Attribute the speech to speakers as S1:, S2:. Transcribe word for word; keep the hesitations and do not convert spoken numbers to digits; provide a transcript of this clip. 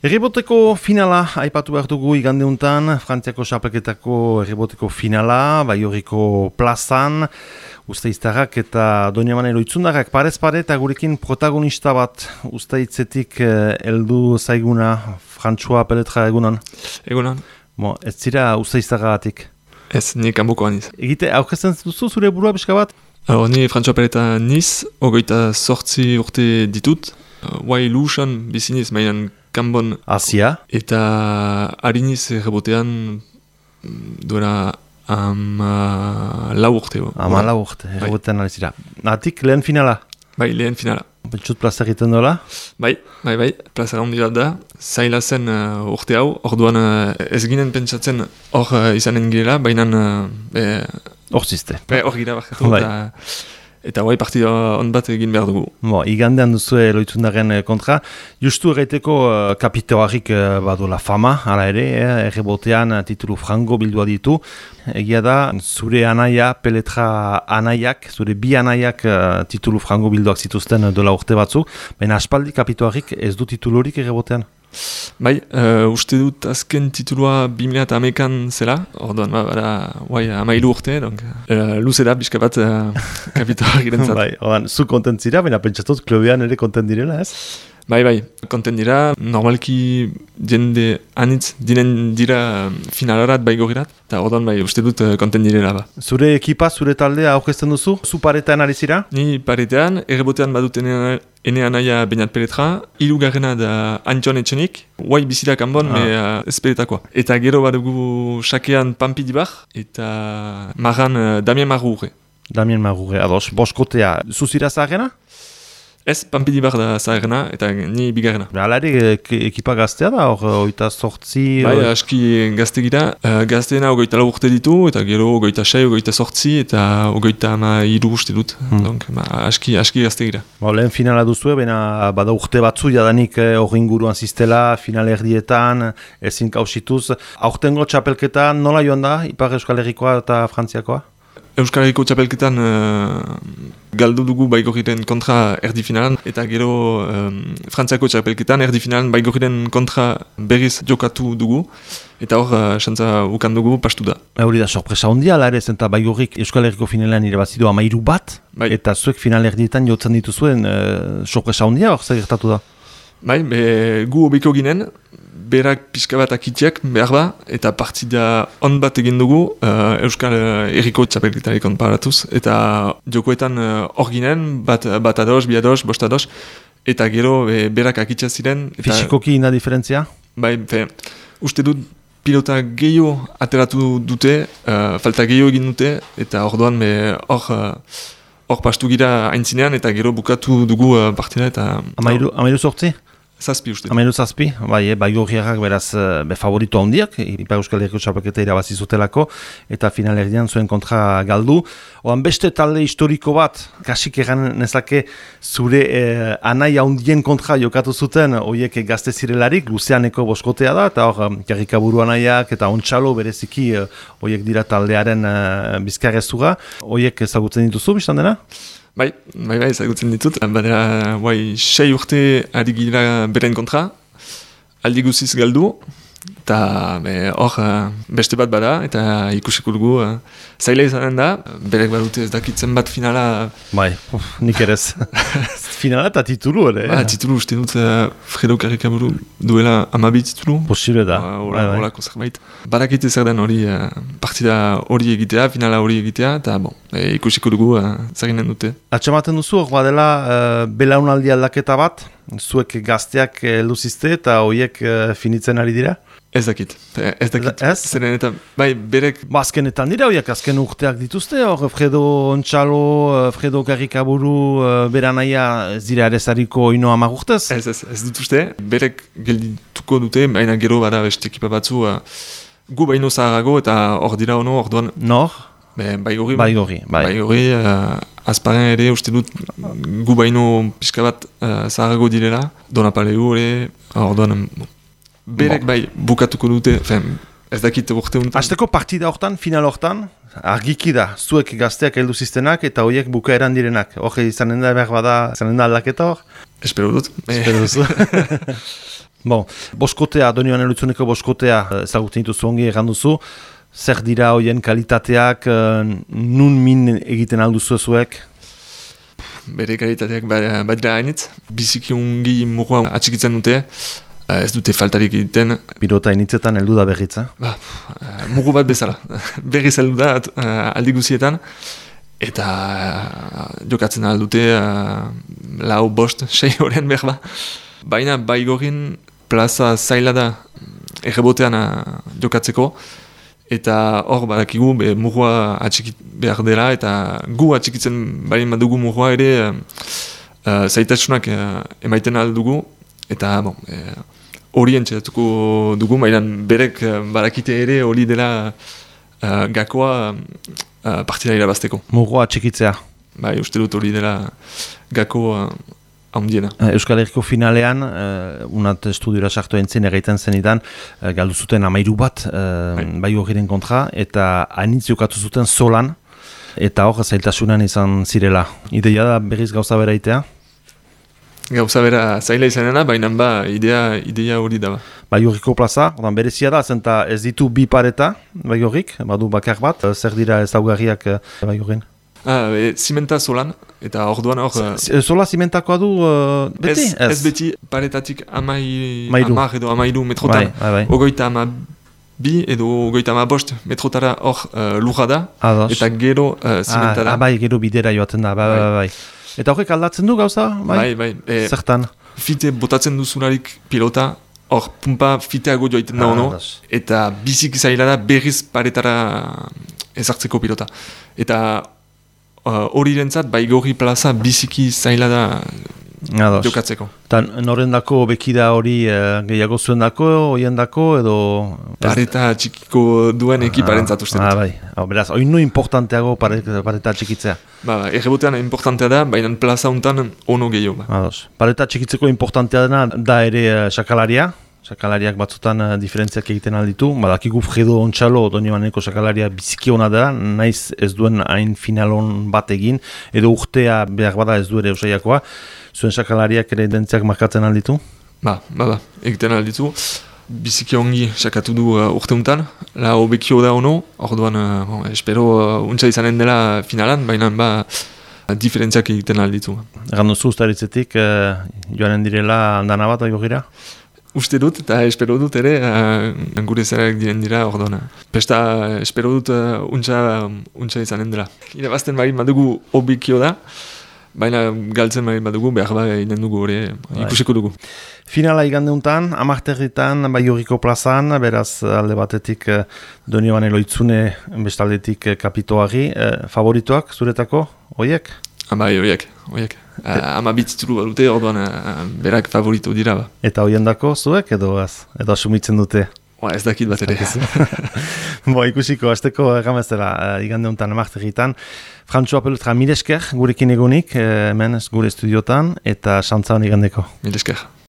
S1: Erreboteko finala aipatu behar dugu igandeuntan, Frantziako xapelketako erreboteko finala, Baioriko plazan, Usteiztarrak eta Doñamanero itzundarrak parez pare eta gurekin protagonista bat Usteitzetik heldu eh, zaiguna, Frantzua Peletra egunan.
S2: Egunan.
S1: Bo, ez zira Usteiztarragatik?
S2: Ez, ni kanboko aniz.
S1: Egite, aurkezten duzu zure burua pixka bat?
S2: Alors, ni Frantzua Peleta niz, ogoita sortzi urte ditut, guai uh, lusan biziniz, mainan kanbon.
S1: Asia.
S2: Eta hariniz errebotean duela ama lau urte.
S1: Ama lau urte, errebotean alizira. Natik lehen finala?
S2: Bai, lehen finala.
S1: Pentsut plaza egiten dola?
S2: Bai, bai, bai, plaza handi bat da. Zaila zen uh, urte hau, orduan uh, ez ginen pentsatzen hor uh, izanen girela, baina uh,
S1: hor ziste.
S2: Hor gira bakatu, eta, eta guai partida on bat egin behar dugu.
S1: Bo, igandean duzu loitzundaren kontra. Justu erraiteko uh, kapitoarrik uh, badola fama, hala ere, eh, errebotean uh, titulu frango bildua ditu. Egia da, zure anaia, Peletra anaiak, zure bi anaiak uh, titulu frango bilduak zituzten uh, dola urte batzuk, baina aspaldi kapitoarrik ez du titulurik errebotean.
S2: Bai, uh, uste dut azken titulua bi mila hamekan zela, orduan bada, guai, amailu urte, donc, uh, luze da, bizka bat uh, kapitoarrik irentzat.
S1: Bai, orduan, zu kontent zira, baina pentsatuz klubean ere kontent direla, ez?
S2: Bai, bai, konten dira, normalki jende anitz dinen dira finalarat baigorirat, eta orduan bai, uste dut konten direla ba.
S1: Zure ekipa, zure taldea aurkezten duzu? Zu paretean ari zira?
S2: Ni paretean, errebotean badut ene anaia Beñat Peletra, hirugarrena da Antxon Etxenik, guai bizira kanbon, ah. me uh, ez peletakoa. Eta gero badugu sakean Pampi Dibar, eta marran uh, Damien Marrure.
S1: Damien Marrure, ados, boskotea, zuzira zaharena?
S2: Ez, Pampi Dibar da zaherena, eta ni bigarrena.
S1: Alare, ekipa gaztea da, hor, oita sortzi...
S2: Bai, aski gazte gira. Uh, gazteena ogoita lau urte ditu, eta gero ogoita sei, ogoita sortzi, eta ogoita ama hiru uste dut. Hmm. Donc, ma, aski, aski gazte gira. Ba,
S1: lehen finala duzu, baina bada urte batzu, jadanik hor eh, inguruan ziztela, final erdietan, ezin kausituz. Aurtengo txapelketa nola joan da, Ipar Euskal Herrikoa eta Frantziakoa?
S2: Euskal Herriko txapelketan uh, galdu dugu baigorriren kontra erdi finalan, eta gero um, Frantziako txapelketan erdi finalan baigorriren kontra berriz jokatu dugu, eta hor uh, xantza ukan dugu pastu da.
S1: Hori da, sorpresa hondia, ala ere, zenta baigorrik Euskal Herriko finalean irabazidu amairu bat, bai. Eta zuek final erdietan jotzen dituzuen uh, sorpresa hondia, hor zer gertatu da?
S2: Bai, be, gu obiko ginen, berak pixka bat akitiak behar ba, eta partida on bat egin dugu uh, Euskal Herriko txapelketarik konparatuz, eta jokoetan hor uh, ginen, bat, bat ados, bi ados, bost ados, eta gero be, berak akitia ziren. Eta,
S1: fisikoki ina diferentzia?
S2: Bai, fe, uste dut pilota gehiago ateratu dute, uh, falta gehiago egin dute, eta orduan hor uh, hor pastu gira aintzinean, eta gero bukatu dugu uh, partida, eta...
S1: Amairu, amairu sortzi?
S2: Zazpi uste.
S1: Amairu zazpi, bai, e, bai gorriarrak beraz be favorito handiak, Ipar Euskal Herriko txapelketa irabazi zutelako, eta final erdian zuen kontra galdu. Oan beste talde historiko bat, kasik egan nezake zure eh, anai handien kontra jokatu zuten, horiek gazte zirelarik, Luzeaneko boskotea da, eta hor, Karrikaburu anaiak eta Ontxalo bereziki horiek dira taldearen eh, bizkarrezura, horiek ezagutzen dituzu, biztan dena?
S2: Bai, bai, bai, ezagutzen ditut. Badera, bai, sei urte ari gira beren kontra, aldi guziz galdu, eta hor beste bat bada, eta ikusiko dugu uh, zaila izanen da, berek badute ez dakitzen bat finala...
S1: Bai, uf, nik erez. Finala eta titulu ere.
S2: Ba, titulu uste dut uh, Fredo Karrikaburu duela amabi titulu.
S1: Posible da.
S2: Horako uh, zerbait. Badakite zer den hori uh, partida hori egitea, finala hori egitea, eta bon, e, ikusiko dugu uh, zerinen dute.
S1: Atxamaten duzu, hor badela uh, belaunaldi aldaketa bat, zuek gazteak uh, luzizte eta horiek uh, finitzen ari dira?
S2: Ez dakit, ez dakit.
S1: Ez?
S2: Zeren eta, bai, berek...
S1: Ba, azkenetan dira, horiek azken urteak dituzte, hor Fredo Ontxalo, Fredo Karrikaburu, beranaia zira ere zariko ino hamar urtez?
S2: Ez, ez, ez dut uste, berek geldituko dute, baina gero bada beste ekipa batzu, uh, gu baino zaharago eta hor dira ono, hor duan...
S1: Nor?
S2: Baigorri.
S1: Baigorri, bai.
S2: Baigorri, uh, azparen ere uste dut gu baino pixka bat uh, zaharago direla, Donapaleu ere, hor duan... Berek bai bukatuko dute, fen, ez dakit urte untan.
S1: Azteko partida hortan, final hortan, argiki da, zuek gazteak heldu ziztenak eta horiek bukaeran direnak. Hor izanen da behar bada, izanen da aldaketa hor?
S2: Espero dut.
S1: Espero duzu. Bon, boskotea, Donibane Lohizuneko boskotea ezagutzen dituzu ongi erranduzu. Zer dira hoien kalitateak, nun min egiten alduzu zuek?
S2: Bere kalitateak badira hainitz. Biziki ungi murua atxikitzen dute, ez dute faltarik egiten.
S1: Pilota initzetan heldu da berriz, eh?
S2: Ba, mugu bat bezala. Berriz heldu da aldi guzietan. Eta jokatzen aldute lau bost, sei horren behar ba. Baina Baigorin plaza zaila da errebotean jokatzeko. Eta hor badakigu be, murua atxikit behar dela, eta gu atxikitzen bain badugu murua ere uh, zaitasunak uh, emaiten aldugu, eta bon, hori uh, entxeratuko dugu, baina berek uh, badakite ere hori dela uh, gakoa uh, partida irabazteko.
S1: Murua atxikitzea.
S2: Bai, uste dut hori dela gako uh, handiena.
S1: Euskal Herriko finalean, uh, unat estudiora sartu entzien egiten zenidan, uh, galdu zuten amairu bat, uh, bai horren kontra, eta hainitz jokatu zuten solan, eta hor zailtasunan izan zirela. Ideia da berriz gauza bera itea?
S2: Gauza bera zaila izanena, baina ba, idea, idea hori da ba.
S1: Bai horriko plaza, ordan berezia da, zenta ez ditu bi pareta, bai horrik, badu bakar bat, zer dira ezaugarriak bai horren?
S2: Ah, e, zimenta solan, eta orduan hor...
S1: Sola zimentakoa du uh, beti?
S2: Ez, ez. Ez beti paretatik amai,
S1: Mairu.
S2: amar edo amairu metrotan.
S1: Bai, bai, bai.
S2: Ogoita ama bi edo ogoita ama bost metrotara hor uh, lurra da,
S1: Ados.
S2: eta gero uh, zimenta da.
S1: Ah, bai, gero bidera joaten da, bai, bai, bai. Eta horrek aldatzen du gauza? Bai,
S2: bai. bai. E,
S1: Zertan?
S2: Fite botatzen duzularik pilota, hor pumpa fiteago joaiten da ono, eta bizik zaila da berriz paretara ezartzeko pilota. Eta hori uh, rentzat, Baigorri plaza biziki zaila da Ados. Jokatzeko.
S1: Eta norendako bekida hori uh, gehiago zuen dako, hoien dako, edo...
S2: Pareta txikiko duen ekiparentzat uste dut.
S1: Ah, bai. Ah, beraz, oinu importanteago pareta, pareta txikitzea.
S2: Ba, ba, errebotean importantea da, baina plaza hontan ono gehiago. Ba.
S1: Ados. Pareta txikitzeko importantea dena da ere uh, sakalaria. Sakalariak batzutan uh, diferentziak egiten alditu. Badakigu Fredo Ontxalo, Donibaneko sakalaria biziki hona da, naiz ez duen hain finalon bat egin, edo urtea behar bada ez du ere usaiakoa. Zuen sakalariak ere identziak markatzen alditu?
S2: Ba, ba, ba, egiten alditu. Biziki ongi sakatu du uh, urte untan, la hobekio da ono, orduan, uh, bon, espero uh, untsa izanen dela finalan, baina ba, diferentziak egiten alditu.
S1: Egan duzu ustaritzetik, uh, joanen direla andana bat aigorira?
S2: Uste dut, eta espero dut ere, uh, gure zerak diren dira, orduan. Pesta, espero dut uh, untsa, untsa izanen dela. Irabazten bain badugu hobekio da, baina galtzen bain badugu, behar ba inen dugu hori ikusiko dugu.
S1: Finala igandeuntan, amarterritan, Baigorriko plazan, beraz alde batetik Donibane Lohizune, bestaldetik Kapitoari, eh, favoritoak zuretako, hoiek?
S2: Bai, hoiek, hoiek. Ama bitzituru badute, orduan berak favorito dira ba.
S1: Eta hoien dako zuek edo az, edo asumitzen dute?
S2: Ba, ez dakit bat ere.
S1: Bo, ikusiko, azteko erramezela, uh, igande honetan amarterritan. Frantxoa Pelutra, mil esker gurekin egonik, hemen gure estudiotan, eta xantza hon igandeko.
S2: Mil esker.